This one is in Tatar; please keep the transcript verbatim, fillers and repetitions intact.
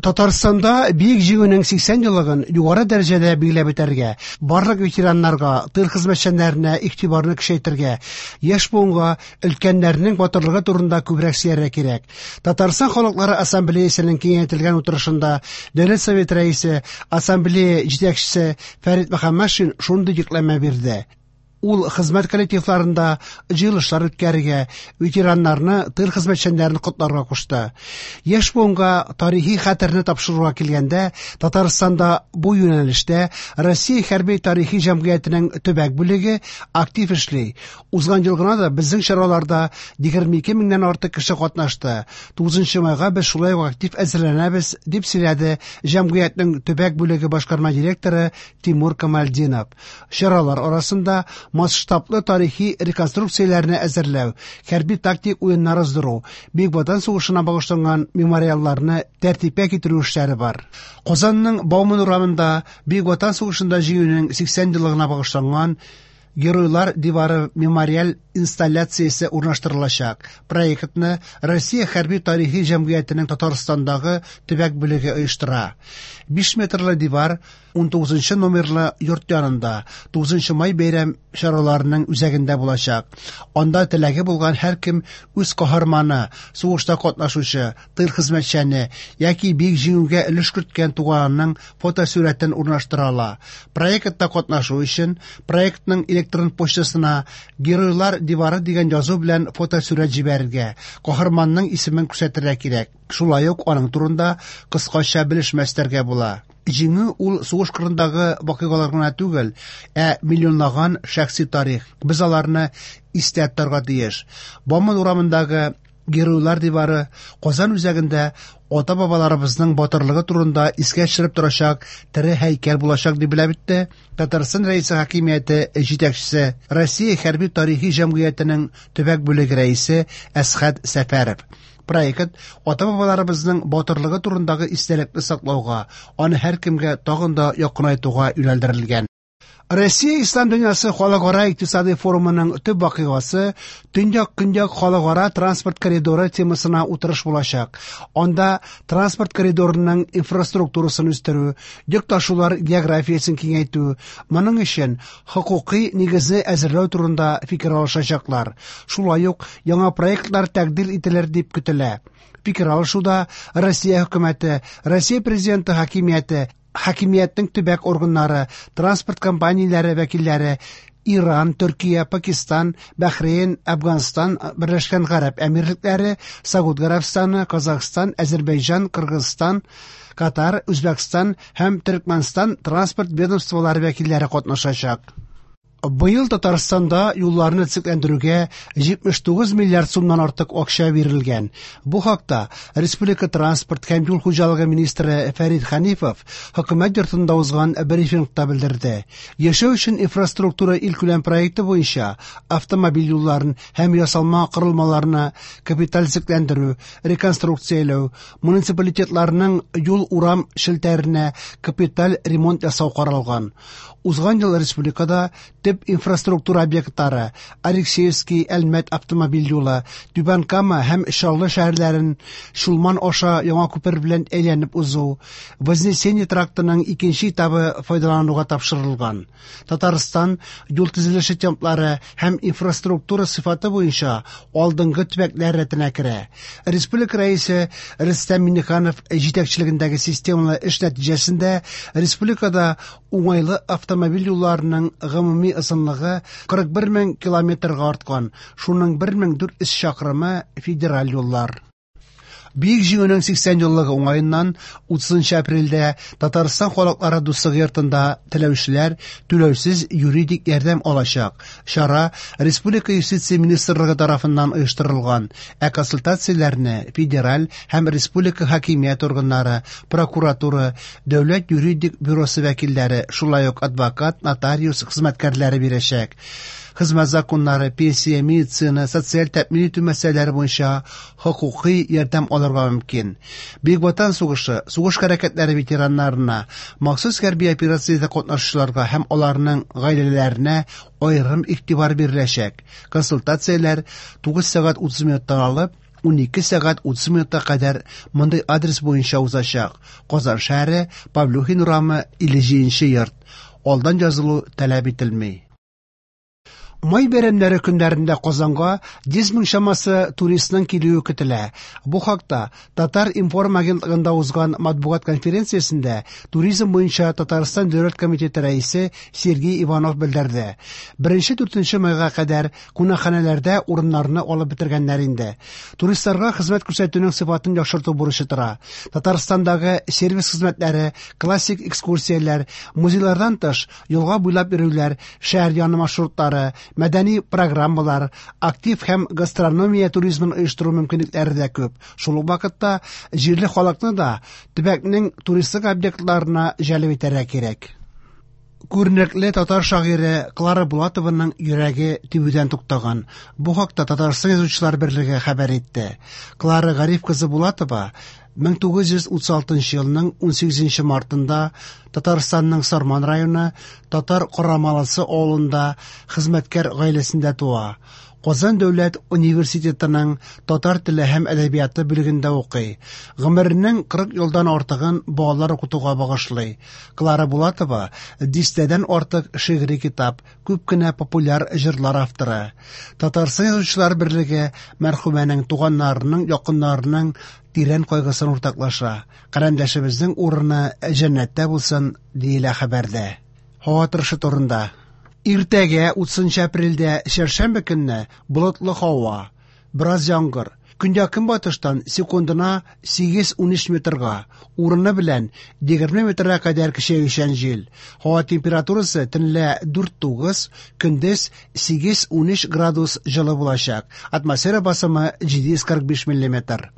Татарстанда Бөек Җиңүнең сиксән еллыгын югары дәрәҗәдә билгеләп үтәргә, барлык ветераннарга, тыл хезмәтчәннәренә игътибарны көчәйтергә, яшь буынга өлкәннәрнең батырлыгы турында күбрәк сөйләргә кирәк. Татарстан халыклары ассамблеясының киңәйтелгән утырышында Дәүләт Советы рәисе, ассамблея җитәкчесе Фәрит Мөхәммәтшин шундый йөкләмә бирде. Ул хезмәт коллективларында җыелышлар үткәрергә, ветераннарны, тыл хезмәтчәннәрен котларга кушты. Яшь буынга тарихи хәтерне тапшыруга килгәндә, Татарстанда бу юнәлештә Россия хәрби тарихи җәмгыятенең төбәк бүлеге актив эшли. Узган ел гына да безнең чараларда егерме ике меңнән артык кеше катнашты. Тугызынчы майга без шулай ук актив әзерләнәбез, дип сөйләде җәмгыятьнең төбәк бүлеге башкарма директоры Тимур Камальдинов. Чаралар арасында масштаблы тарихи реконструкцияләрне әзерләү, хәрби тактик уеннар уздыру, Бөек Ватан сугышына багышланган мемориалларны тәртипкә китерү эшләре бар. Казанның Бауман урамында Бөек Ватан сугышында җиңүнең сиксән еллыгына багышланган Геройлар дивары мемориаль инсталляциясе урнаштырылачак. Проектны Россия хәрби тарихи җәмгыятенең Татарстандагы төбәк бүлеге оештыра. Биш метрлы дивар ун тугызынчы номерлы йорт янында тугызынчы май бәйрәм чараларының үзәгендә булачак. Анда теләге булган һәркем үз каһарманы, сугышта катнашучы, тыл хезмәтчәне яки Бөек Җиңүгә өлеш керткән туганының фотосурәтен урнаштыра ала. Проектта катнашу өчен проектның электрон почтасына Геройлар дивары дигән язу белән фотосурәт җибәрергә, каһарманның исемен күрсәтергә кирәк. Шулай ук аның турында кыскача белешмә өстәргә була. Җиңү ул сугыш кырындагы вакыйгалар гына түгел, ә миллионлаган шәхси тарих. Без аларны истә тотарга тиеш. Бауман урамындагы Геройлар дивары Казан үзәгендә ата-бабаларыбызның батырлыгы турында искә төшереп торачак тере һәйкәл булачак дип белә битте Татарстан Рәисе хакимияте җитәкчесе, Россия хәрби тарихи җәмгыятенең төбәк бүлеге рәисе Әсхәт Сәфәров. Проект ата-бабаларыбызның батырлыгы турындагы истәлекне саклауга, аны һәркемгә тагын да якынайтуга юнәлдерелгән. Россия Ислам дөньясы халыкара икътисади форумының төп вакыйгасы Төньяк-Көньяк халыкара транспорт коридоры темасына утырыш булачак. Анда транспорт коридорының инфраструктурасын үстерү, йөк ташулар географиясен киңәйтү, моның өчен хокукый нигезне әзерләү турында фикер алышачаклар. Шулай ук яңа проектлар тәкъдир ителер дип көтелә. Фикер алышуда Россия хөкүмәте, Россия президенты хакимияте, хакимиятнең төбәк органнары, транспорт компанияләре вәкилләре, Иран, Төркия, Пакистан, Бәхрейн, Әфганстан, Берләшкән Гарәп Әмирлекләре, Сауд Гарәбстаны, Казахстан, Әзербайҗан, Кыргызстан, Катар, Үзбәкстан һәм Төркмәнстан транспорт ведомстволары вәкилләре катнашачак. Быел Татарстанда юлларны төзекләндерүгә җитмеш тугыз миллиард сумнан артык акча бирелгән. Бу хакта Республика транспорт һәм юл хуҗалыгы министры Фәрит Хәнифов хөкүмәт йортында узган брифингта белдерде. Яшәү өчен инфраструктура илкүләм проекты буенча автомобиль юлларын һәм ясалма корылмаларны капиталь төзекләндерү, реконструкцияләү, муниципалитетларның юл-урам челтәренә капиталь ремонт ясау каралган. Узган ел республикада төп инфраструктура объектлары Алексеевский, Әлмәт автомобиль юлы, Түбән Кама һәм Чаллы шәһәрләрен Чулман аша яңа күпер белән әйләнеп узу, Вознесение трактының икенче этабы файдалануга тапшырылган. Татарстан юл төзелеше темплары һәм инфраструктура сыйфаты буенча алдынгы төбәкләр рәтенә керә. Республика рәисе Рөстәм Миңнеханов җитәкчелегендәге системалы эш нәтиҗәсендә республикада уңайлы автомобиль юлларының гомуми озынлыгы кырык бер мең километрга арткан, шуның бер мең дүрт йөз чакрымы федераль юллар. Бөек Җиңүнең сиксән еллыгы уңаеннан утызынчы апрельдә Татарстан халыклары дуслыгы йортында теләүчеләр түләүсез юридик ярдәм алачак. Чара Республика юстиция министрлыгы тарафыннан оештырылган, ә консультацияләрне федераль һәм республика хакимият органнары, прокуратура, дәүләт юридик бюросы вәкилләре, шулай ук адвокат, нотариус хезмәткәрләре бирәчәк. Хезмәт законнары, пенсия, медицина, социаль тәэмин итү мәсьәләләре буенча хокукый ярдәм алырга мөмкин. Бөек Ватан сугышы, сугыш хәрәкәтләре ветераннарына, махсус хәрби операциядә катнашучыларга һәм аларның гаиләләренә аерым игътибар биреләчәк. Консультацияләр тугыз сәгать утыз минуттан алып унике сәгать утыз минутка кадәр мондый адрес буенча узачак: Казан шәһәре, Павлюхин урамы, илле җиденче йорт. Алдан язылу таләп ителми. Май бәйрәмнәре көннәрендә Казанга йөз мең чамасы туристның килүе көтелә. Бу хакта Татар-информ агентлыгында узган матбугат конференциясендә туризм буенча Татарстан дәүләт комитеты рәисе Сергей Иванов белдерде. Беренче дүртенче майга кадәр кунакханәләрдә урыннарны алып бетергәннәр инде. Туристларга хезмәт күрсәтүнең сыйфатын яхшырту бурычы тора. Татарстандагы сервис хезмәтләре, классик экскурсияләр, музейлардан тыш, елга буйлап йөрүләр, шәһәр яны маршрутлары, мәдәни программалар, актив һәм гастрономия туризмын оештыру мөмкинлекләре дә күп. Шул ук вакытта җирле халыкны да төбәкнең туристик объектларына җәлеп итәргә кирәк. Күренекле татар шагыйре Клара Булатованың йөрәге тибүдән туктаган. Бу хакта Татарстан Язучылар берлеге хәбәр итте. Клара Гариф кызы Булатова мең тугыз йөз утыз алтынчы елның унсигезенче мартында Татарстанның Сарман районы Татар Карамалысы авылында хезмәткәр гаиләсендә туа. Казан дәүләт университетының татар теле һәм әдәбияты бүлегендә укый. Гомеренең кырык елдан артыгын балалар укытуга багышлый. Клара Булатова дистәдән артык шигъри китап, күп кенә популяр җырлар авторы. Татарстан Язучылар берлеге мәрхүмәнең туганнарының, якыннарының тирән кайгысын уртаклаша. Каләмдәшебезнең урыны җәннәттә булсын, диелә хәбәрдә. Һава торышы турында. Иртәгә утызынчы апрельдә чәршәмбе көнне болытлы һава, бераз яңгыр. Көньяк-көнбатыштан секундына сигез-унөч метрга, урыны белән егерме метрга кадәр көчәючән җил. Һава температурасы төнлә дүрт-тугыз, көндез сигез-унөч градус җылы булачак. Атмосфера басымы җиде йөз кырык биш миллиметр.